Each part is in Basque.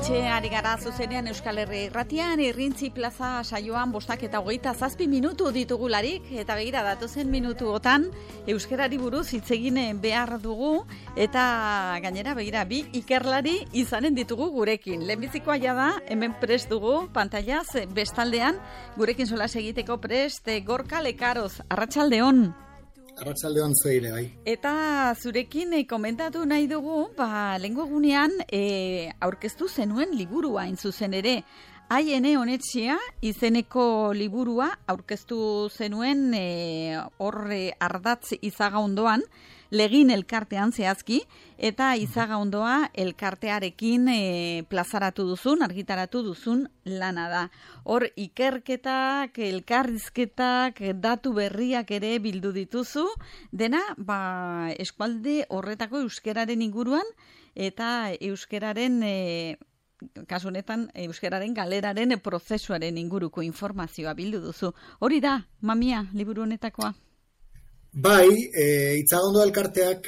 Hementxe ari gara zuzenean Euskal Herri Irratian, Irrintzi Plaza saioan 7:27 minutu ditugularik, eta begira datozen minutuotan euskarari buruz hitz egin behar dugu, eta gainera begira bi ikerlari izanen ditugu gurekin. Lehenbizikoa da, hemen prest dugu, pantailaz, bestaldean, gurekin solas egiteko prest, Gorka Lekaroz, arratsaldeon. Arratsaldeon zueire, bai. Eta zurekin komentatu nahi dugu, lehengo egunean aurkeztu zenuen liburua hain zuzen ere. Aiene Onetxea izeneko liburua aurkeztu zenuen horre ardatz Izagaundoan, Legin elkartean zehazki, eta Izagaundoa elkartearekin plazaratu duzun, argitaratu duzun lana da. Hor ikerketak, elkarrizketak, datu berriak ere bildu dituzu, dena eskualde horretako euskararen inguruan, eta euskararen kasu honetan euskararen galeraren prozesuaren inguruko informazioa bildu duzu. Hori da, mamia, liburu honetakoa? Bai, Itzagondo elkarteak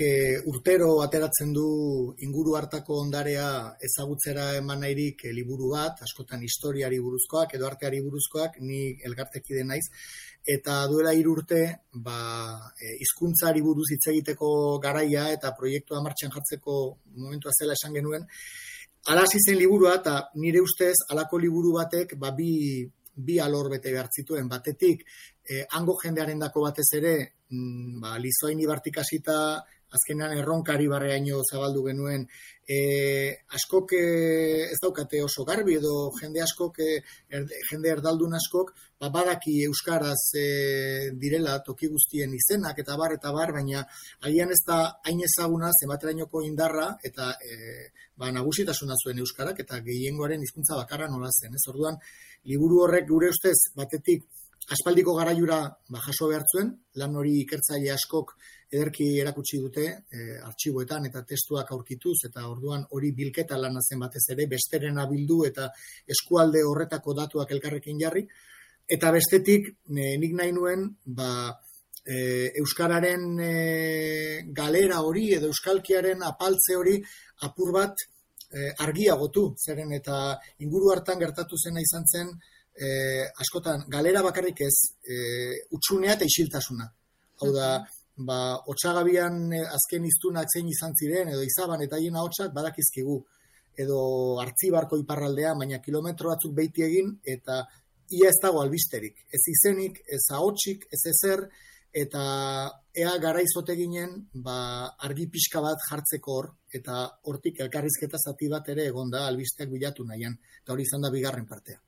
urtero ateratzen du inguru hartako ondarea ezagutzera eman nahirik liburu bat, askotan historiari buruzkoak edo arteari buruzkoak, ni elkartekide naiz, eta duela 3 urte, hizkuntzari buruz hitz egiteko garaia eta proiektua martxan jartzeko momentua zela esan genuen. Hala hasi zen liburua, eta nire ustez halako liburu batek bi alor bete behar zituen. Batetik, hango jendearen dako batez ere, Lizoain ibartik hasita, azkenean erronkari barreaino zabaldu genuen, askok ez daukate oso garbi edo jende askok, jende erdaldun askok, badaki euskaraz direla toki guztien izenak eta bar, baina agian ez da hain ezaguna zenbaterainoko indarra eta nagusitasuna zuen euskarak eta gehiengoaren hizkuntza bakarra nola zen. Orduan, liburu horrek gure ustez batetik aspaldiko garaiura jaso behar zuen, lan hori ikertzaile askok ederki erakutsi dute artxiboetan eta testuak aurkituz, eta orduan hori bilketa lana zen batez ere, besterena bildu eta eskualde horretako datuak elkarrekin jarri. Eta bestetik, nik nahi nuen, euskararen galera hori edo euskalkiaren apaltze hori apur bat argiagotu, zeren eta inguru hartan gertatu zena izan zen, askotan, galera bakarrik ez, utxunea eta isiltasuna. Hau da, Otsagabian azken hiztunak zein izan ziren, edo Izaban eta haien ahotsak badakizkigu, edo Artzibarko iparraldea, baina kilometro batzuk beiti egin, eta ia ez dago albisterik. Ez izenik, ez ahotsik, ez ezer, eta ea garaizote ginen, argi pixka bat jartzeko hor, eta hortik elkarrizketa zati bat ere egonda albisteak bilatu nahian, eta hori izan da bigarren partea.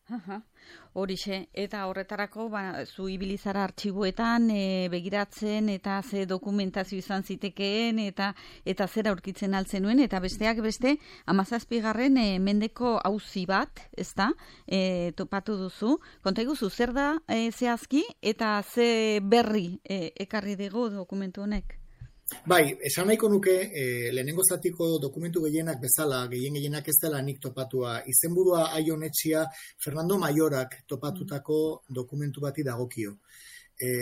Horixe, eta horretarako zu ibilizara artxiboetan begiratzen eta ze dokumentazio izan zitekeen eta zer aurkitzen altzen nuen, eta besteak beste 17. Mendeko auzi bat, ezta, topatu duzu. Konta iguzu, zer da zehazki eta ze berri ekarri dugu dokumentu honek? Bai, esan nahiko nuke, lehenengo zatiko dokumentu gehienak bezala, gehienak ez dela nik topatua, izenburua Aione Onetxea Fernando Mayorak topatutako dokumentu bati dagokio.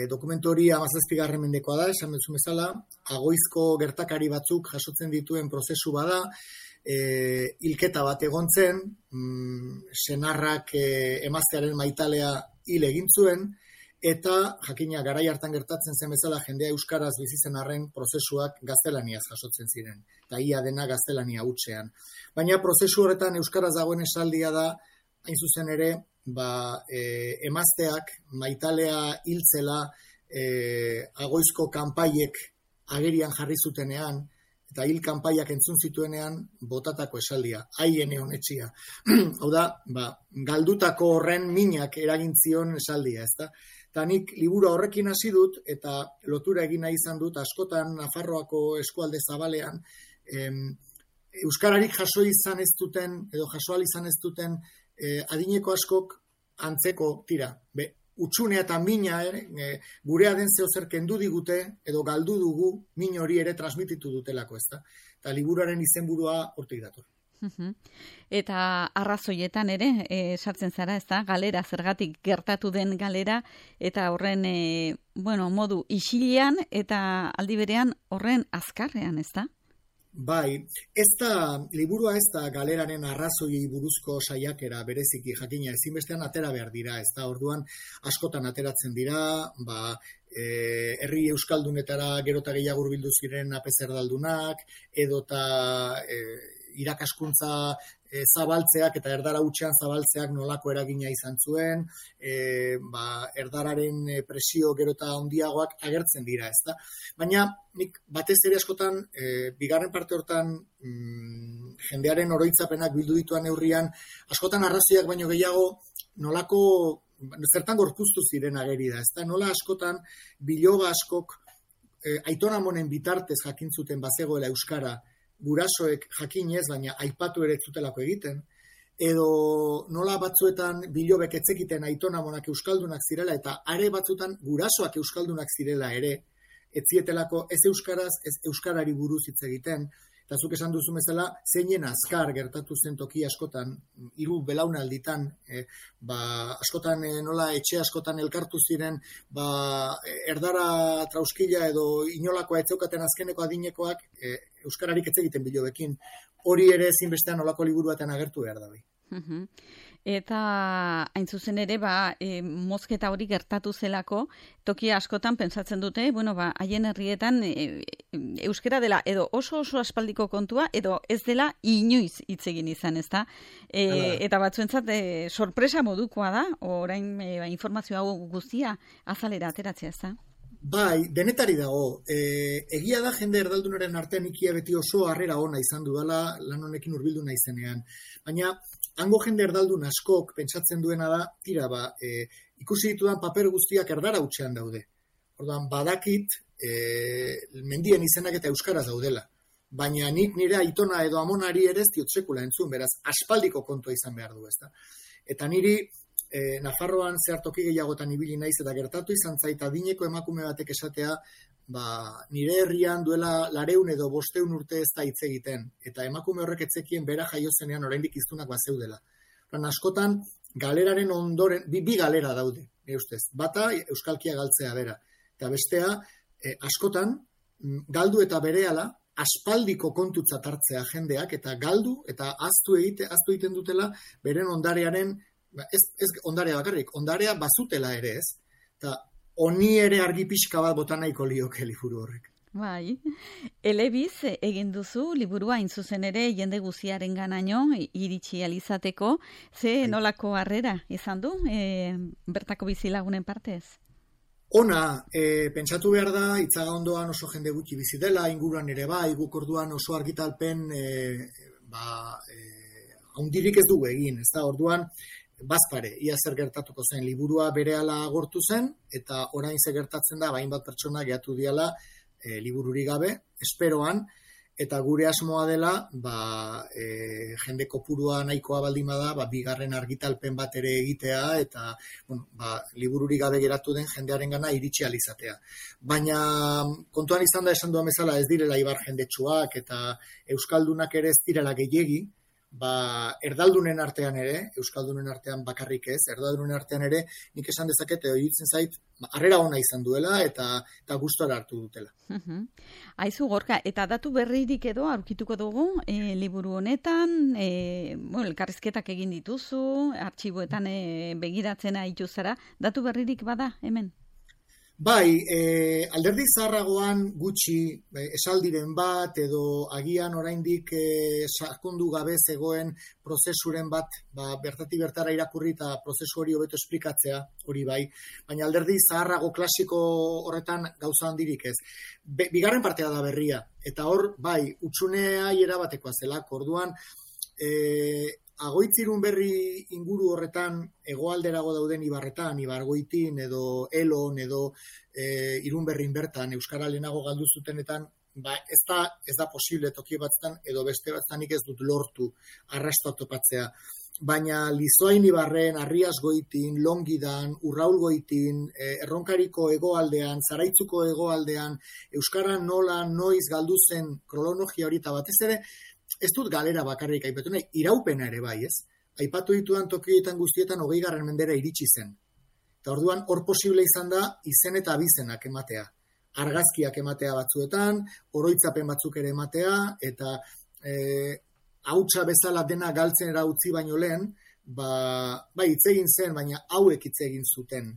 Dokumentu hori 17. mendekoa da, esan bezun bezala, Agoizko gertakari batzuk jasotzen dituen prozesu bada, hilketa bat egon zen, senarrak emaztearen maitalea hil egin zuen, eta jakina garai hartan gertatzen zen bezala jendea euskaraz bizi zen arren prozesuak gaztelaniaz jasotzen ziren. Eta ia dena gaztelania hutsean. Baina prozesu horretan euskaraz dagoen esaldia da, hain zuzen ere, emazteak maitalea hiltzela Agoizko kanpaiek agerian jarri zutenean, eta hil kanpaiak entzun zituenean botatako esaldia, Aiene Onetxea. Hau da, galdutako horren minak eragin zion esaldia, ezta? Eta nik liburu horrekin hasi dut, eta lotura egin nahi izan dut, askotan Nafarroako eskualde zabalean, euskararik jaso izan ez duten, edo jasoal izan ez duten, adineko askok antzeko tira. Utxunea eta mina gurea den zeozer kendu digute, edo galdu dugu, min hori ere transmititu dutelako, ezta? Eta liburuaren izenburua hortik dator. Eta arrazoietan ere, sartzen zara, ezta? Galera, zergatik gertatu den galera, eta horren, modu isilean, eta aldi berean horren azkarrean, ezta? Bai, liburua ez da galeraren arrazoi buruzko saiakera bereziki jakina ezinbestean atera behar dira, ez da orduan askotan ateratzen dira, herri euskaldunetara gerota gehiago hurbildu ziren apez erdaldunak, edota irakaskuntza zabaltzeak eta erdara hutsean zabaltzeak nolako eragina izan zuen, erdararen presio gerota handiagoak agertzen dira, ezta? Baina nik batez ere askotan, bigarren parte hortan jendearen oroitzapenak bildu dituan neurrian, askotan arrazoiak baino gehiago nolako zertan gorpuztu ziren ageri da, ezta? Nola askotan biloba askok Aiton Amonen bitartez jakintzuten bazegoela euskara, gurasoek jakinez, baina aipatu ere zutelako egiten, edo nola batzuetan bilobek etzekiten Aiton Amonak euskaldunak zirela, eta are batzutan gurasoak euskaldunak zirela ere, etzietelako ez euskaraz, ez euskarari buruz hitz egiten, eta zuk esan duzu bezala, zeinen azkar gertatu zen toki askotan, 3 belaunalditan, askotan nola etxe askotan elkartu ziren, erdara trauskila edo inolakoa etzeukaten azkeneko adinekoak, euskararik ez egiten bilobekin. Hori ere ezinbestean nolako liburu batean agertu behar da bai. Eta hain zuzen ere, mozketa hori gertatu zelako, toki askotan pentsatzen dute, haien herrietan euskara dela edo oso aspaldiko kontua, edo ez dela inoiz hitz egin izan, ezta? Eta batzuentzat sorpresa modukoa da, orain informazio hau guztia azalera ateratzea, ezta? Bai, denetari dago. Egia da jende erdaldunaren artean ikia beti oso harrera ona izan dudala lan honekin hurbildu naizenean. Baina, hango jende erdaldun askok pentsatzen duena da, ikusi ditudan paper guztiak erdara hutsean daude. Orduan, badakit, mendien izenak eta euskaraz daudela. Baina nik nire aitona edo amonari ere ez diot sekula entzun, beraz, aspaldiko kontua izan behar du, ezta. Eta niri, Nafarroan zehartoki gehiagotan ibili naiz eta gertatu izan zait adineko emakume batek esatea, nire herrian duela 200 edo 500 urte ez da hitz egiten, eta emakume horrek etzekien bera jaio zenean oraindik hiztunak bazeudela. Askotan galeraren ondoren, bi galera daude, ustez. Bata euskalkia galtzea bera, eta bestea askotan galdu eta berehala aspaldiko kontutzat hartzea jendeak eta galdu eta ahaztu egiten dutela beren ondarearen ez ondarea bakarrik, ondarea bazutela ere ez, eta honi ere argi pixka bat bota nahiko lioke liburu horrek. Bai, elebiz egin duzu, liburua hain zuzen ere jende guziaren ganaino, iritsi alizateko, nolako harrera izan du, bertako bizilagunen partez? Ona, pentsatu behar da, Itzaga ondoan oso jende gutxi bizi dela, inguruan ere bai, guk orduan oso argitalpen, haundirik ez dugu egin, ez da, orduan, bazpare, ia zer gertatuko zen, liburua berehala agortu zen, eta orain ze gertatzen da, hainbat pertsona gehatu diala libururi gabe, esperoan, eta gure asmoa dela, jende kopurua nahikoa baldin bada, bigarren argitalpen bat ere egitea, eta libururi gabe geratu den jendearengana iritsi alizatea. Baina kontuan izan da esan duan bezala ez direla ibar jendetsuak, eta euskaldunak ere ez direla gehiegi, erdaldunen artean ere, euskaldunen artean bakarrik ez, erdaldunen artean ere, nik esan dezaket, egitzen zait, harrera ona izan duela eta gustora hartu dutela. Aizu Gorka, eta datu berririk edo aurkituko dugu, liburu honetan, elkarrizketak egin dituzu, artxiboetan begiratzen aitu zara, datu berririk bada hemen? Bai, alderdi zaharragoan gutxi esaldiren bat edo agian oraindik sakondu gabe zegoen prozesuren bat, bertatik bertara irakurri eta prozesu hori hobeto esplikatzea, hori bai, baina alderdi zaharrago klasiko horretan gauza handirik ez. Bigarren partea da berria, eta hor, bai, utxunea erabatekoa zelako, orduan, Agoitzirun berri inguru horretan hegoalderago dauden ibarretan, Ibargoitin edo Elon edo Irunberrin bertan euskara lehenago galdu zutenetan, ez da posible toki batzutan edo beste batzutan ez dut lortu arrastoa topatzea. Baina Lizoain Ibarren, Arriasgoitin, Longidan, Urraulgoitin, Erronkariko hegoaldean, Zaraitzuko hegoaldean, euskara nola, noiz galdu zen kronologia hori eta batez ere, ez dut galera bakarrik aipatu nahi, iraupena ere bai, ez? Aipatu ditudan tokietan guztietan 20. mendera iritsi zen. Eta orduan hor posible izan da izen eta abizenak ematea. argazkiak ematea batzuetan, oroitzapen batzuk ere ematea, eta hautsa bezala dena galtzen utzi baino lehen, bai hitz egin zen, baina hauek hitz egin zuten.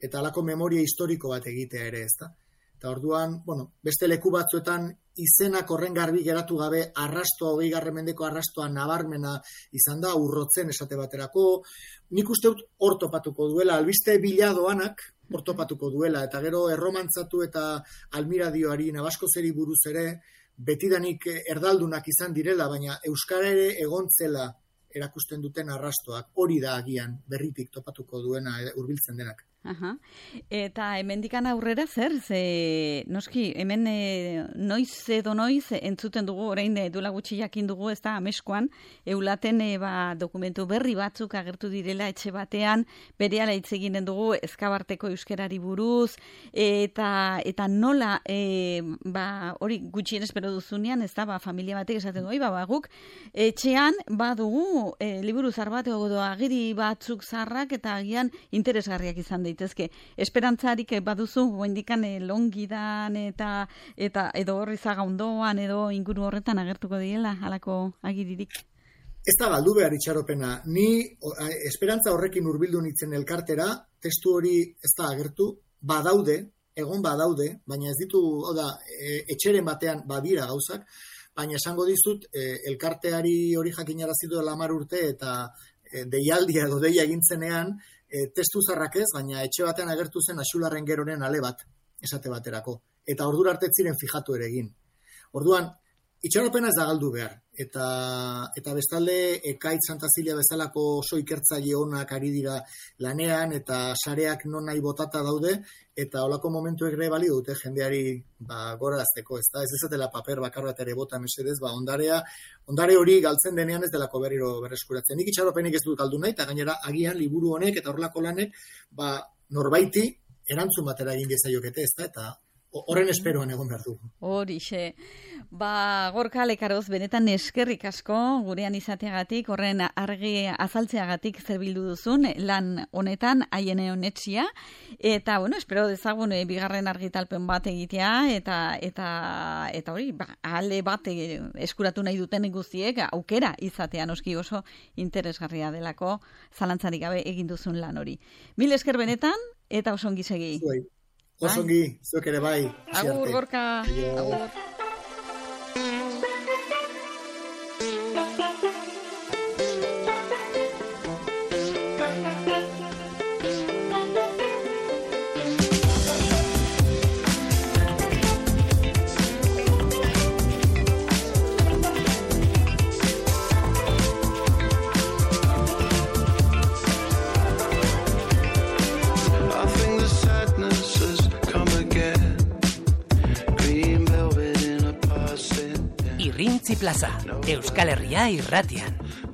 Eta halako memoria historiko bat egitea ere, ezta? Eta orduan, beste leku batzuetan izenak horren garbi geratu gabe arrastoa, 20. mendeko arrastoa nabarmena izan da, urrotzen esate baterako. Nik uste dut hor topatuko duela, albiste biladoanak hor topatuko duela, eta gero erromantzatu eta Almiradioari, Nabaskozeri buruz ere, betidanik erdaldunak izan direla, baina euskara ere egontzela erakusten duten arrastoak, hori da agian berritik topatuko duena hurbiltzen denak. Aha. Eta hemendikan aurrera zer? Noski, hemen noiz entzuten dugu, orain duela gutxi jakin dugu, ez da, ameskoan, eulaten dokumentu berri batzuk agertu direla etxe batean, berehala hitz eginen dugu Ezkabarteko euskerari buruz, eta nola, hori gutxien espero duzunean, ez da, familia batek esaten du, guk, etxean, badugu, liburu zar bat, agiri batzuk zarrak, eta agian interesgarriak izan daitezke. Esperantzarik baduzu, goendikan Longidan eta edo Horrizaga ondoan edo inguru horretan agertuko direla halako agiririk? Ez da galdu behar itxaropena. Ni esperantza horrekin hurbildu nintzen elkartera, testu hori ez da agertu, egon badaude, baina ez ditu, etxeren batean badira gauzak, baina esango dizut, elkarteari hori jakinarazi duela 10 urte eta deialdia edo deia egintzenean, testu zarrak ez, baina etxe batean agertu zen Axularren Geroren ale bat, esate baterako. Eta ordura arte ziren fijatu ere egin. Orduan, itxaropena ez da galdu behar. Eta bestalde, Ekaitz Santa Zilia bezalako oso ikertzaile onak ari dira lanean, eta sareak non nahi botata daude, eta holako momentu ere balio dute jendeari gorazteko, ez da, ez ezatela paper bakar bat ere bota mesedez, ondare hori galtzen denean ez delako berriro berreskuratzen. Nik itxaropenik ez dut galdu nahi, eta gainera agian liburu honek eta horrelako lanek, norbaiti erantzun batera egin diezaiokete, ez da, eta horren esperoan egon behar dugu. Horixe. Gorka Lekaroz, benetan eskerrik asko gurean izateagatik, horren argi azaltzeagatik zer bildu duzun lan honetan, haien honetxia, eta, espero dezagun bigarren argitalpen bat egitea, eta hori, ale bat eskuratu nahi duten guztiek, aukera izatea noski oso interesgarria delako, zalantzarik gabe egin duzun lan hori. Mil esker benetan, eta oso ongi segi. Osongi, zuek ere bai. Agur, Gorka. Agur. Irrintzi Plaza, Euskal Herria irratian.